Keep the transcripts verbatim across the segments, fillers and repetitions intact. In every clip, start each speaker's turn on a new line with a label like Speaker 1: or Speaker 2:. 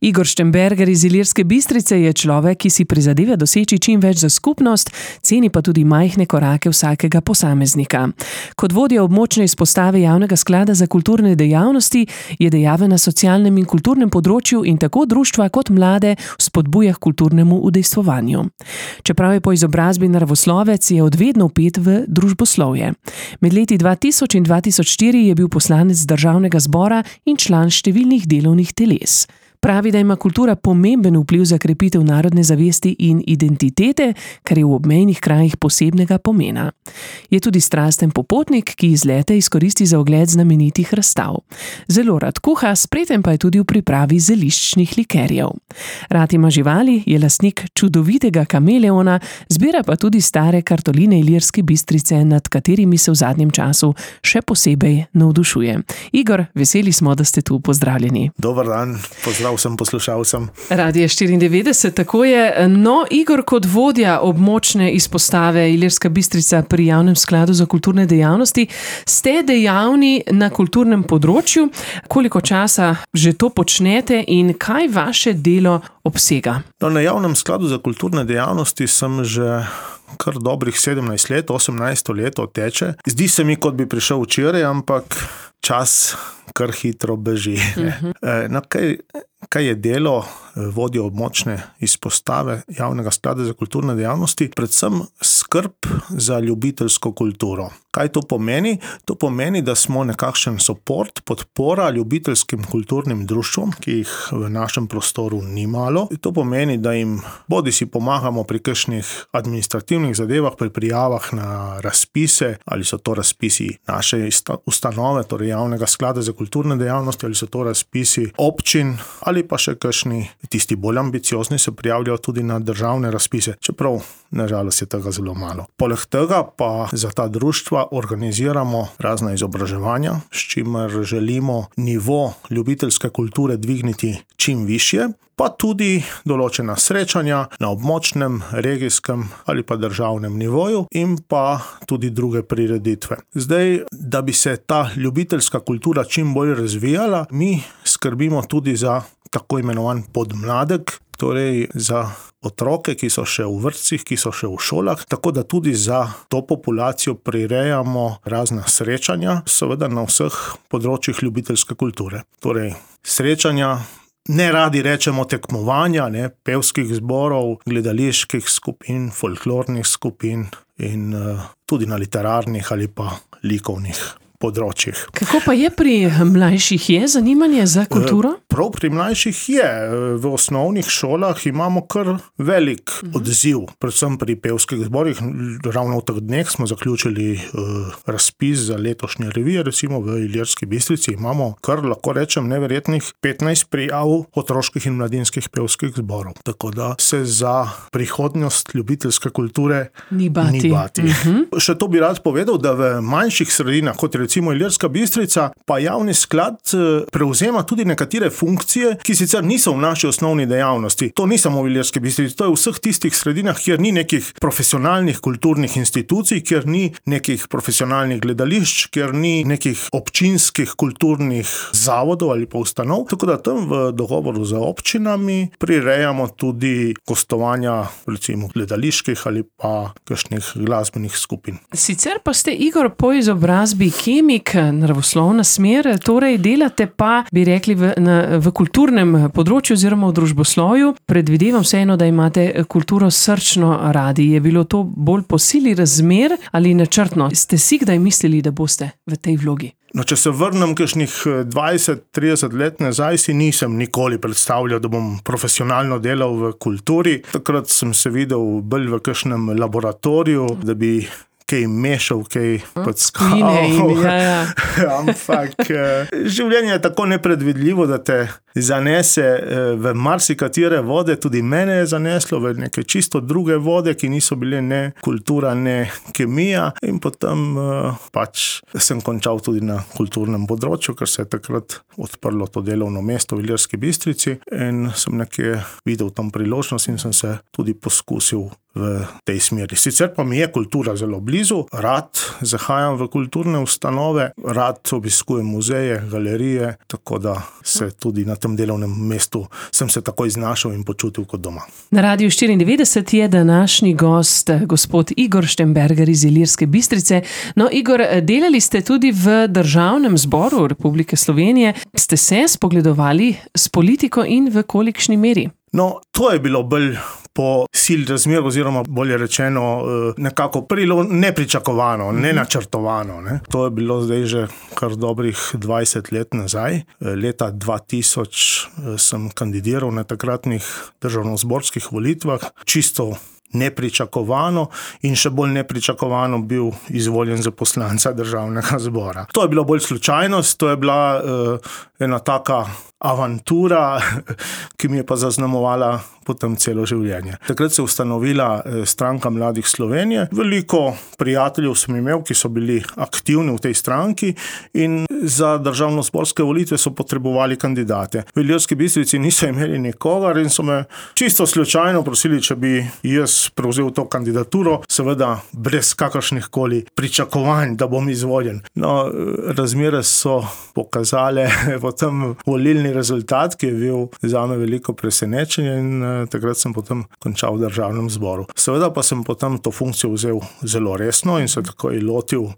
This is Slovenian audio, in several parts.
Speaker 1: Igor Štembergar iz Ilirske Bistrice je človek, ki si prizadeva doseči čim več za skupnost, ceni pa tudi majhne korake vsakega posameznika. Kot vodja območne izpostave Javnega sklada za kulturne dejavnosti je dejaven na socialnem in kulturnem področju in tako društva kot mlade spodbuja k kulturnemu udejstvovanju. Čeprav je po izobrazbi naravoslovec, je od vedno vpet v družboslovje. Med leti dva tisoč in dva tisoč štiri je bil poslanec Državnega zbora in član številnih delovnih teles. Pravi, da ima kultura pomemben vpliv za krepitev narodne zavesti in identitete, kar je v obmejnih krajih posebnega pomena. Je tudi strasten popotnik, ki izlete izkoristi za ogled znamenitih razstav. Zelo rad kuha, spreten pa je tudi v pripravi zeliščnih likerjev. Rad ima živali, je lastnik čudovitega kameleona, zbira pa tudi stare kartoline Ilirske Bistrice, nad katerimi se v zadnjem času še posebej navdušuje. Igor, veseli smo, da ste tu, pozdravljeni.
Speaker 2: Dober dan, pozdrav vsem poslušalcem.
Speaker 1: Radio štiriindevetdeset, tako je. No, Igor, kot vodja območne izpostave Ilirska Bistrica pri Javnem skladu za kulturne dejavnosti, ste dejavni na kulturnem področju. Koliko časa že to počnete in kaj vaše delo obsega?
Speaker 2: No, na Javnem skladu za kulturne dejavnosti sem že kar dobrih sedemnajst let, osemnajsto leto teče. Zdi se mi, kot bi prišel včeraj, ampak čas kar hitro beži. Uh-huh. No, kaj, kaj je delo vodje območne izpostave Javnega sklada za kulturne dejavnosti? Predvsem skrb za ljubiteljsko kulturo. Kaj to pomeni? To pomeni, da smo nekakšen support, podpora ljubiteljskim kulturnim društvom, ki jih v našem prostoru ni malo. To pomeni, da jim bodi si pomagamo pri kakšnih administrativnih zadevah, pri prijavah na razpise, ali so to razpisi naše ustanove, torej Javnega sklada za kulturne dejavnosti, ali so to razpisi občin, ali pa še kakšni tisti bolj ambiciozni se prijavljajo tudi na državne razpise, čeprav nažalost je tega zelo malo. Poleg tega pa za ta društva organiziramo razna izobraževanja, s čimer želimo nivo ljubiteljske kulture dvigniti čim višje, pa tudi določena srečanja na območnem, regijskem ali pa državnem nivoju in pa tudi druge prireditve. Zdaj, da bi se ta ljubiteljska kultura čim bolj razvijala, mi skrbimo tudi za tako imenovan podmladek, torej za otroke, ki so še v vrtcih, ki so še v šolah, tako da tudi za to populacijo prirejamo razna srečanja, seveda na vseh področjih ljubiteljske kulture. Torej, srečanja, ne radi rečemo tekmovanja, ne, pevskih zborov, gledaliških skupin, folklornih skupin in uh, tudi na literarnih ali pa likovnih področjih.
Speaker 1: Kako pa je pri mlajših, je zanimanje za kulturo?
Speaker 2: Prav pri mlajših je. V osnovnih šolah imamo kar velik odziv, predvsem pri pevskih zborih. Ravno v teh dneh smo zaključili uh, razpis za letošnje revije, recimo v Ilirski Bistrici imamo kar, lahko rečem, neverjetnih petnajst prijav otroških in mladinskih pevskih zborov. Tako da se za prihodnost ljubiteljske kulture
Speaker 1: ni bati.
Speaker 2: Ni bati.
Speaker 1: Uh-huh.
Speaker 2: Še to bi rad povedal, da v manjših sredinah, kot recimo Ilirska Bistrica, pa Javni sklad prevzema tudi nekatere funkcije, ki sicer niso v naši osnovni dejavnosti. To ni samo v Ilirski Bistrici, to je v vseh tistih sredinah, kjer ni nekih profesionalnih kulturnih institucij, kjer ni nekih profesionalnih gledališč, kjer ni nekih občinskih kulturnih zavodov ali pa ustanov. Tako da tam v dogovoru z občinami prirejamo tudi gostovanja recimo gledaliških ali pa kakšnih glasbenih skupin.
Speaker 1: Sicer pa ste, Igor, po izobrazbi kemik, naravoslovna smer, torej delate pa, bi rekli, v, na, v kulturnem področju oziroma v družboslovju. Predvidevam vseeno, da imate kulturo srčno radi. Je bilo to bolj po sili razmer ali načrtno? Ste si kdaj mislili, da boste v tej vlogi?
Speaker 2: No, če se vrnem kakšnih dvajset trideset let nazaj, si nisem nikoli predstavljal, da bom profesionalno delal v kulturi. Takrat sem se videl bolj v kakšnem laboratoriju, da bi kaj mešal, kaj podskal.
Speaker 1: Ja, ja.
Speaker 2: Ampak življenje je tako nepredvidljivo, da te zanese v marsikatere vode, tudi mene je zaneslo v neke čisto druge vode, ki niso bile ne kultura, ne kemija, in potem pač sem končal tudi na kulturnem področju, ker se je takrat odprlo to delovno mesto v Ilirski Bistrici in sem nekje videl tam priložnost in sem se tudi poskusil v tej smeri. Sicer pa mi je kultura zelo blizu, rad zahajam v kulturne ustanove, rad obiskujem muzeje, galerije, tako da se tudi na tem delovnem mestu sem se takoj znašel in počutil kot doma.
Speaker 1: Na Radiu štiriindevetdeset je današnji gost gospod Igor Štembergar iz Ilirske Bistrice. No, Igor, delali ste tudi v Državnem zboru Republike Slovenije. Ste se spogledovali s politiko in v kolikšni meri?
Speaker 2: No, to je bilo bolj po sili razmer, oziroma bolje rečeno nekako prilo nepričakovano, nenačrtovano. Ne. To je bilo zdaj že kar dobrih dvajset let nazaj. Leta dva tisoč sem kandidiral na takratnih državnozborskih volitvah, čisto nepričakovano in še bolj nepričakovano bil izvoljen za poslanca Državnega zbora. To je bila bolj slučajnost, to je bila uh, ena taka avantura, ki mi je pa zaznamovala potem celo življenje. Takrat se je ustanovila Stranka mladih Slovenije. Veliko prijateljev sem imel, ki so bili aktivni v tej stranki in za državnozborske volitve so potrebovali kandidate. V Ilirski Bistrici niso imeli nikogar in so me čisto slučajno prosili, če bi jaz prevzel to kandidaturo, seveda brez kakršnih koli pričakovanj, da bom izvoljen. No, razmere so pokazale potem volilni rezultat, ki je bil zame veliko presenečenje in takrat sem potem končal v Državnem zboru. Seveda pa sem potem to funkcijo vzel zelo resno in se takoj lotil uh,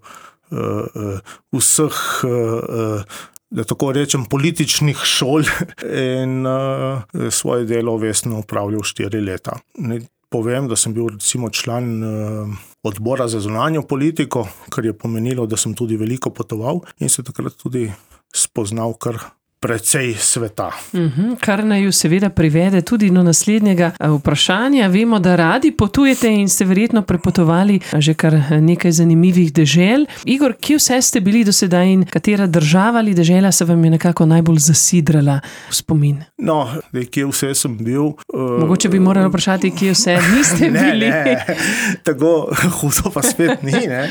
Speaker 2: uh, vseh, uh, da tako rečem, političnih šol in uh, svoje delo vestno upravljal štiri leta. Ne povem, da sem bil recimo član uh, odbora za zunanjo politiko, kar je pomenilo, da sem tudi veliko potoval in se takrat tudi spoznal kar precej sveta.
Speaker 1: Uhum, kar naju seveda privede tudi do naslednjega vprašanja. Vemo, da radi potujete in ste verjetno prepotovali že kar nekaj zanimivih dežel. Igor, kje vse ste bili do sedaj in katera država ali dežela se vam je nekako najbolj zasidrala v spomin?
Speaker 2: No, kje vse sem bil... Uh,
Speaker 1: Mogoče bi morali vprašati, kje vse niste bili.
Speaker 2: Ne, ne, tako hudo pa spet ni, ne.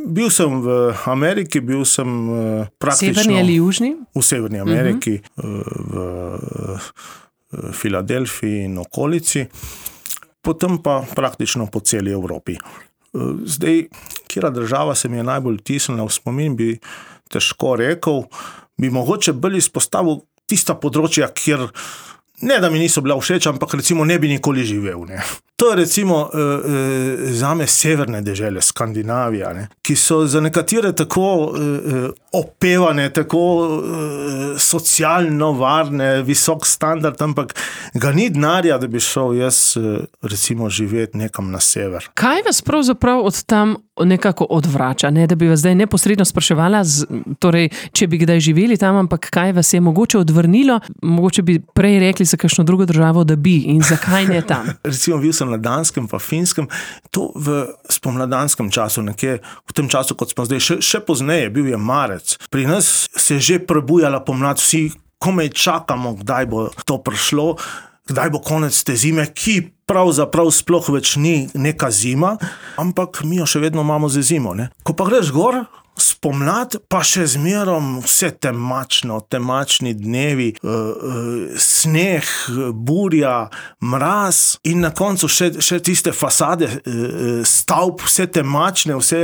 Speaker 2: Bil sem v Ameriki, bil sem uh, praktično...
Speaker 1: Severni ali južni?
Speaker 2: V Severni Ameriki, uh-huh. v uh, Filadelfiji in okolici, potem pa praktično po celi Evropi. Uh, zdaj, katera država se mi je najbolj vtisnila v spomin, bi težko rekel, bi mogoče bolj izpostavil tista področja, kjer ne da mi niso bila všeč, ampak recimo ne bi nikoli živel. Ne. To je recimo e, e, zame severne dežele, Skandinavija, ne, ki so za nekatere tako e, opevane, tako e, socialno varne, visok standard, ampak ga ni denarja, da bi šel jaz recimo živeti nekam na sever.
Speaker 1: Kaj vas pravzaprav od tam nekako odvrača? Ne, da bi vas zdaj neposredno spraševala, z, torej, če bi kdaj živeli tam, ampak kaj vas je mogoče odvrnilo? Mogoče bi prej rekli za kakšno drugo državo, da bi in zakaj ne tam?
Speaker 2: Recimo bil sem na Danskem pa Finskem, to v spomladanskem času, nekje v tem času, kot smo zdaj, še, še pozneje, bil je marec. Pri nas se je že prebujala pomlad, vsi komaj čakamo, kdaj bo to prišlo, kdaj bo konec te zime, ki pravzaprav sploh več ni neka zima, ampak mi jo še vedno imamo za zimo. Ne? Ko pa greš gor, spomlad, pa še zmerom vse temačno, temačni dnevi, uh, uh, sneh, burja, mraz in na koncu še, še tiste fasade uh, stavb, vse temačne, vse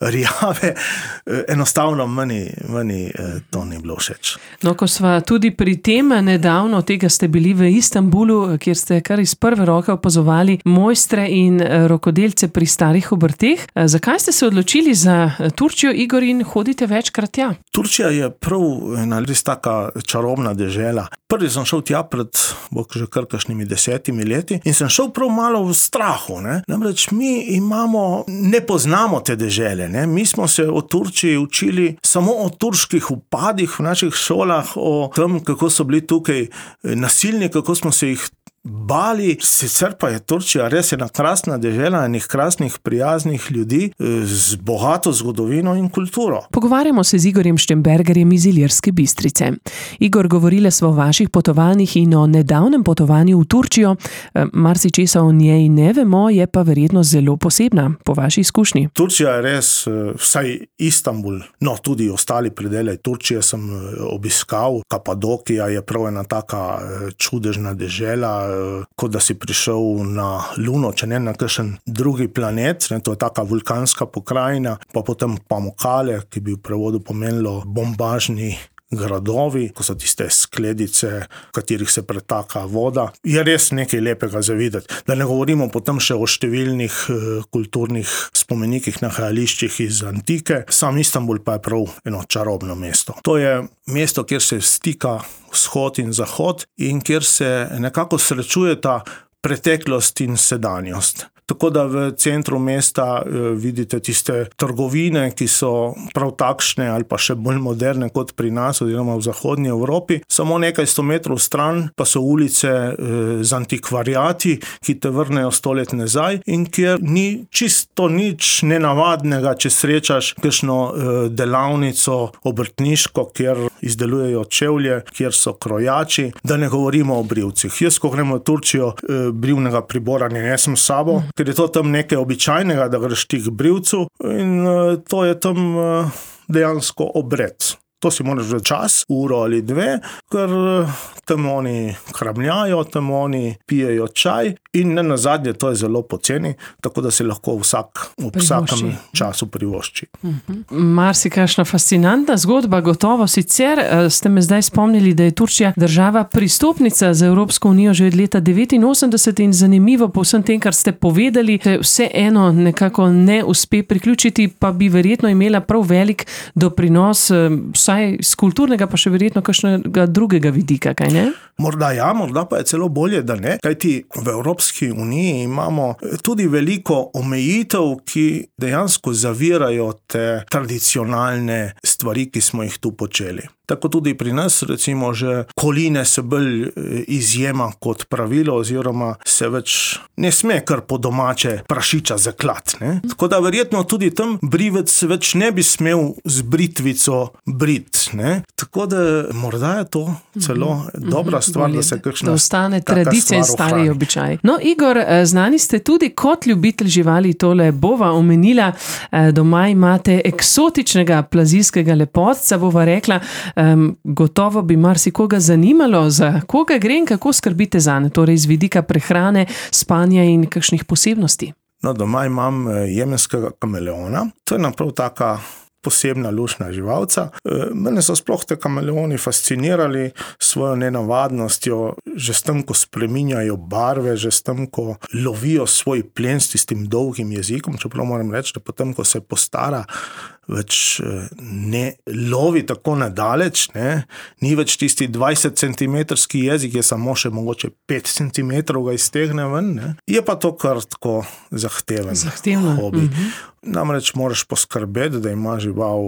Speaker 2: rjave, uh, enostavno meni, meni uh, to ni bilo všeč.
Speaker 1: No, ko sva tudi pri tem nedavno, tega ste bili v Istanbulu, kjer ste kar iz prve roke opazovali mojstre in rokodelce pri starih obrteh. Zakaj ste se odločili za Turčijo, Igor, in hodite večkrat tja?
Speaker 2: Turčija je prav ena res taka čarobna dežela. Prvi sem šel tja pred bok že kar kakšnimi desetimi leti in sem šel prav malo v strahu. Ne? Namreč mi imamo, ne poznamo te dežele. Ne? Mi smo se o Turčiji učili samo o turških upadih v naših šolah, o tem, kako so bili tukaj nasilni, kako smo se jih bali. Sicer pa je Turčija res ena krasna dežela, enih krasnih, prijaznih ljudi z bogato zgodovino in kulturo.
Speaker 1: Pogovarjamo se z Igorjem Štembergarjem iz Ilirske Bistrice. Igor, govorili smo o vaših potovanjih in o nedavnem potovanju v Turčijo. Marsičesa o njej ne vemo, je pa verjetno zelo posebna po vaši izkušnji.
Speaker 2: Turčija je res, vsaj Istanbul, no tudi ostali predele Turčije sem obiskal. Kapadokija je prav ena taka čudežna dežela, kot da si prišel na Luno, če ne na kakšen drugi planet, ne, to je taka vulkanska pokrajina, pa potem Pamukkale, ki bi v prevodu pomenilo bombažni gradovi, ko so tiste skledice, v katerih se pretaka voda. Je res nekaj lepega za videti. Da ne govorimo potem še o številnih kulturnih spomenikih, nahajališčih iz antike. Sam Istanbul pa je prav eno čarobno mesto. To je mesto, kjer se stika vzhod in zahod in kjer se nekako srečujeta preteklost in sedanjost. Tako da v centru mesta vidite tiste trgovine, ki so prav takšne ali pa še bolj moderne kot pri nas oziroma v zahodnji Evropi. Samo nekaj sto metrov stran pa so ulice z antikvariati, ki te vrnejo sto let nazaj in kjer ni čisto nič nenavadnega, če srečaš kakšno delavnico obrtniško, kjer izdelujejo čevlje, kjer so krojači, da ne govorimo o brivcih. Jaz, ko gremo v Turčijo, brivnega pribora ne nesem s sabo, ker je to tam nekaj običajnega, da greš ti k brivcu in to je tam dejansko obred. To si moraš v čas, uro ali dve, ker tam oni kramljajo, tam oni pijejo čaj in ne nazadnje, to je zelo poceni, tako da si lahko vsak v vsakem času privošči.
Speaker 1: Uh-huh. Marsikakšna fascinantna zgodba, gotovo. Sicer ste me zdaj spomnili, da je Turčija država pristopnica za Evropsko unijo že od leta devetinosemdeset in zanimivo po vsem tem, kar ste povedali, vse eno nekako ne uspe priključiti, pa bi verjetno imela prav velik doprinos vsaj z kulturnega, pa še verjetno kakšnega drugega vidika, kaj ne?
Speaker 2: Morda ja, morda pa je celo bolje, da ne, kajti v Evropski uniji imamo tudi veliko omejitev, ki dejansko zavirajo te tradicionalne stvari, ki smo jih tu počeli. Tako tudi pri nas, recimo, že koline se bolj izjema kot pravilo, oziroma se več ne sme kar po domače prašiča zaklat. Ne? Tako da verjetno tudi tam brivec več ne bi smel z britvico brit. Ne? Tako da morda je to celo mm-hmm. dobra stvar,
Speaker 1: Bolje,
Speaker 2: da se kakšna
Speaker 1: da ostane tradicija in stari običaj. No, Igor, znani ste tudi kot ljubitelj živali, tole bova omenila, doma imate eksotičnega plazijskega lepotca, bova rekla. Um, gotovo bi marsikoga zanimalo, za koga gre in kako skrbite zanj, torej iz vidika prehrane, spanja in kakšnih posebnosti.
Speaker 2: No, doma imam jemenskega kameleona. To je naprav taka posebna luštna živalca. Mene so sploh te kameleoni fascinirali svojo nenavadnostjo, že s tem, ko spreminjajo barve, že s tem, ko lovijo svoj plen s tistim dolgim jezikom, čeprav moram reči, da potem, ko se postara, več ne lovi tako nadaleč, ne? Ni več tisti dvajset centimetrski jezik, je samo še mogoče pet centimetrov ga iztegne ven, ne? Je pa to kar tako zahteven
Speaker 1: Zahtevno.
Speaker 2: hobi.
Speaker 1: Mm-hmm.
Speaker 2: Namreč moraš poskrbeti, da ima žival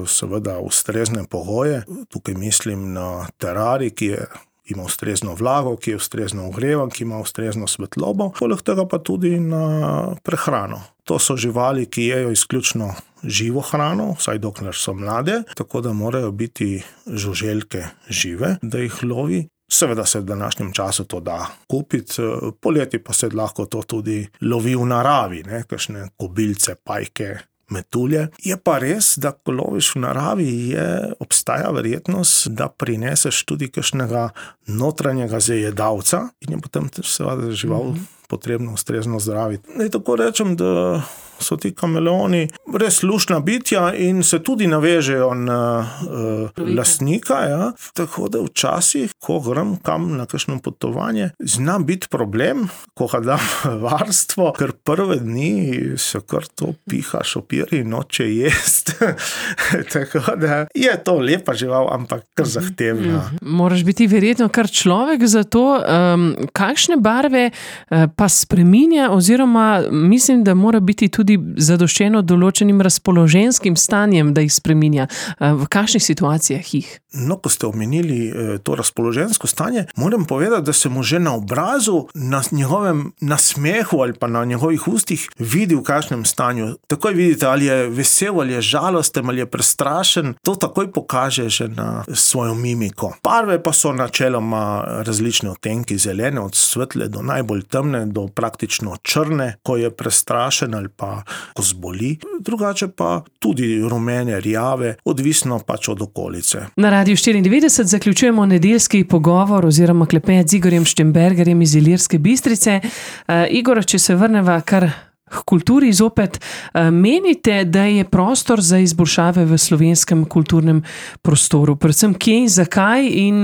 Speaker 2: seveda ustrezne pogoje. Tukaj mislim na terarij, ki je ima ustrezno vlago, ki je ustrezno ogrevan, ki ima ustrezno svetlobo, poleg tega pa tudi na prehrano. To so živali, ki jejo izključno živo hrano, vsaj dokler so mlade, tako da morajo biti žuželke žive, da jih lovi. Seveda se v današnjem času to da kupiti, poleti pa se lahko to tudi lovi v naravi, ne, kakšne kobilce, pajke, metulje. Je pa res, da ko loviš v naravi, je, obstaja verjetnost, da prineseš tudi kakšnega notranjega zajedavca in je potem seveda žival potrebno ustrezno zdraviti. Ne, tako rečem, da so ti kameleoni res luštna bitja in se tudi navežejo na uh, lastnika. Ja. Tako da včasih, ko grem kam na kakšno potovanje, zna biti problem, ko ga dam varstvo, ker prve dni se kar to piha, šopiri, noče jest. Tako da je to lepa žival, ampak kar zahtevna.
Speaker 1: Moraš biti verjetno kar človek za to. Um, kakšne barve uh, pa spreminja, oziroma mislim, da mora biti tudi zadoščeno določenim razpoloženskim stanjem, da jih spreminja. V kakšnih situacijah jih?
Speaker 2: No, ko ste omenili to razpoložensko stanje, moram povedati, da se mu že na obrazu, na njegovem nasmehu ali pa na njegovih ustih vidi, v kakšnem stanju. Takoj vidite, ali je vesel, ali je žalosten, ali je prestrašen. To takoj pokaže že na svojo mimiko. Barve pa so načeloma različne odtenki, zelene od svetle do najbolj temne, do praktično črne, ko je prestrašen ali pa pa ko zboli, drugače pa tudi rumene, rjave, odvisno pač od okolice.
Speaker 1: Na Radiu štiriindevetdeset zaključujemo nedeljski pogovor oziroma klepet z Igorjem Štembergarjem iz Ilirske Bistrice. Uh, Igor, če se vrneva kar k kulturi zopet, menite, da je prostor za izboljšave v slovenskem kulturnem prostoru? Predvsem kje in zakaj, in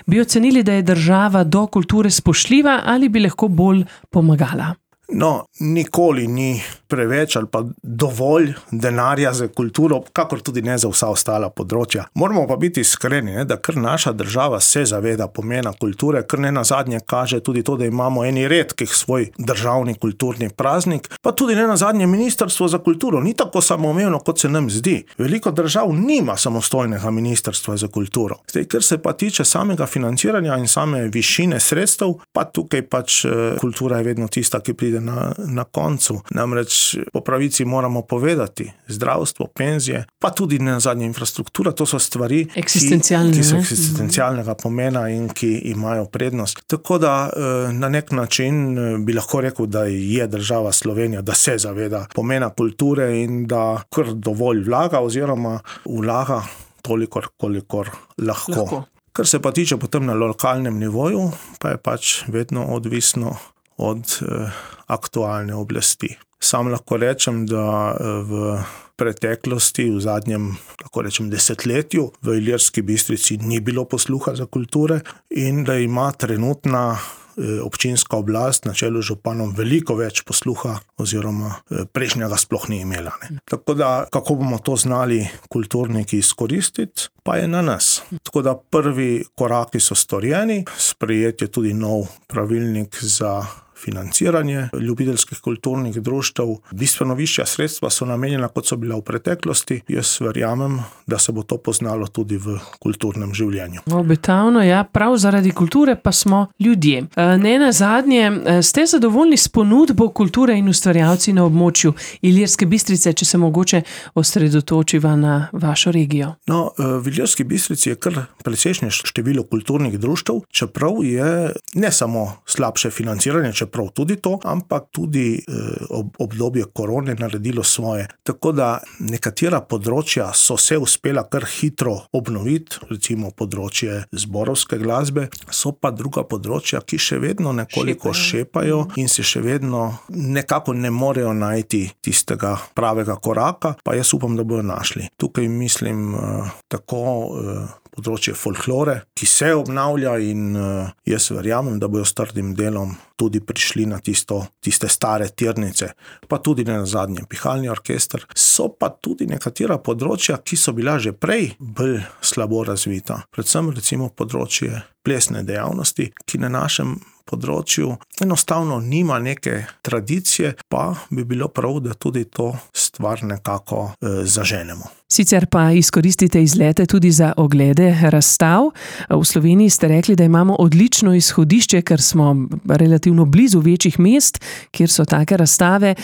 Speaker 1: bi ocenili, da je država do kulture spoštljiva ali bi lahko bolj pomagala?
Speaker 2: No, nikoli ni preveč ali pa dovolj denarja za kulturo, kakor tudi ne za vsa ostala področja. Moramo pa biti iskreni, ne, da kar naša država se zaveda pomena kulture, kar ne nazadnje kaže tudi to, da imamo eni redkih svoj državni kulturni praznik, pa tudi ne nazadnje Ministrstvo za kulturo ni tako samoumevno, kot se nam zdi. Veliko držav nima samostojnega ministrstva za kulturo. Zdaj, ker se pa tiče samega financiranja in same višine sredstev, pa tukaj pač kultura je vedno tista, ki pride Na, na koncu. Namreč po pravici moramo povedati, zdravstvo, penzije, pa tudi ne nazadnje infrastruktura, to so stvari, ki, ki so eksistencialnega pomena in ki imajo prednost. Tako da na nek način bi lahko rekel, da je država Slovenija, da se zaveda pomena kulture in da kar dovolj vlaga oziroma vlaga toliko, kolikor lahko. lahko. Kar se pa tiče potem na lokalnem nivoju, pa je pač vedno odvisno od eh, aktualne oblasti. Sam lahko rečem, da v preteklosti, v zadnjem, lahko rečem, desetletju v Ilirski Bistrici ni bilo posluha za kulture in da ima trenutna eh, občinska oblast na čelu z županom veliko več posluha oziroma eh, prejšnjega sploh ni imela. Ne. Tako da, kako bomo to znali kulturniki izkoristiti, pa je na nas. Tako da prvi koraki so storjeni, sprejet je tudi nov pravilnik za financiranje ljubiteljskih kulturnih društev. Bistveno višja sredstva so namenjena, kot so bila v preteklosti. Jaz verjamem, da se bo to poznalo tudi v kulturnem življenju.
Speaker 1: Obetavno, ja, prav zaradi kulture pa smo ljudje. Ne nazadnje, ste zadovoljni s ponudbo kulture in ustvarjalci na območju Ilirske Bistrice, če se mogoče osredotočiva na vašo regijo?
Speaker 2: No, v Ilirski Bistrici je kar precejšnje število kulturnih društev, čeprav je ne samo slabše financiranje, čeprav prav tudi to, ampak tudi eh, ob, obdobje korone naredilo svoje. Tako da nekatera področja so se uspela kar hitro obnoviti, recimo področje zborovske glasbe, so pa druga področja, ki še vedno nekoliko šepajo, šepajo in se še vedno nekako ne morejo najti tistega pravega koraka, pa jaz upam, da bojo našli. Tukaj mislim eh, tako eh, področje folklore, ki se obnavlja in uh, jaz verjamem, da bojo s trdim delom tudi prišli na tisto, tiste stare tirnice, pa tudi ne nazadnje pihalni orkester. So pa tudi nekatera področja, ki so bila že prej bolj slabo razvita. Predvsem recimo področje plesne dejavnosti, ki na našem področju enostavno nima neke tradicije, pa bi bilo prav, da tudi to stvar nekako eh, zaženemo.
Speaker 1: Sicer pa izkoristite izlete tudi za oglede razstav. V Sloveniji ste rekli, da imamo odlično izhodišče, ker smo relativno blizu večjih mest, kjer so take razstave,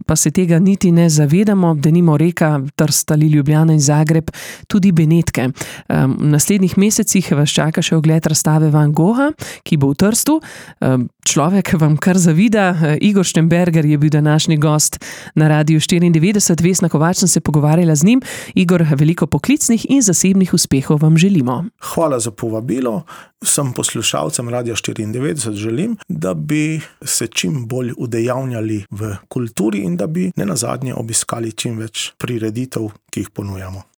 Speaker 1: pa se tega niti ne zavedamo, denimo Reka, Trst ali Ljubljana in Zagreb, tudi Benetke. V naslednjih mesecih vas čaka še ogled razstave Van Gogha, ki bo v Trstu. Človek vam kar zavida. Igor Štembergar je bil današnji gost na Radiu štiriindevetdeset. Vesna Kovač sem se pogovarjala z njim. Igor, veliko poklicnih in zasebnih uspehov vam želimo.
Speaker 2: Hvala za povabilo. Vsem poslušalcem Radia štiriindevetdeset želim, da bi se čim bolj udejavnjali v kulturi in da bi nenazadnje obiskali čim več prireditev, ki jih ponujamo.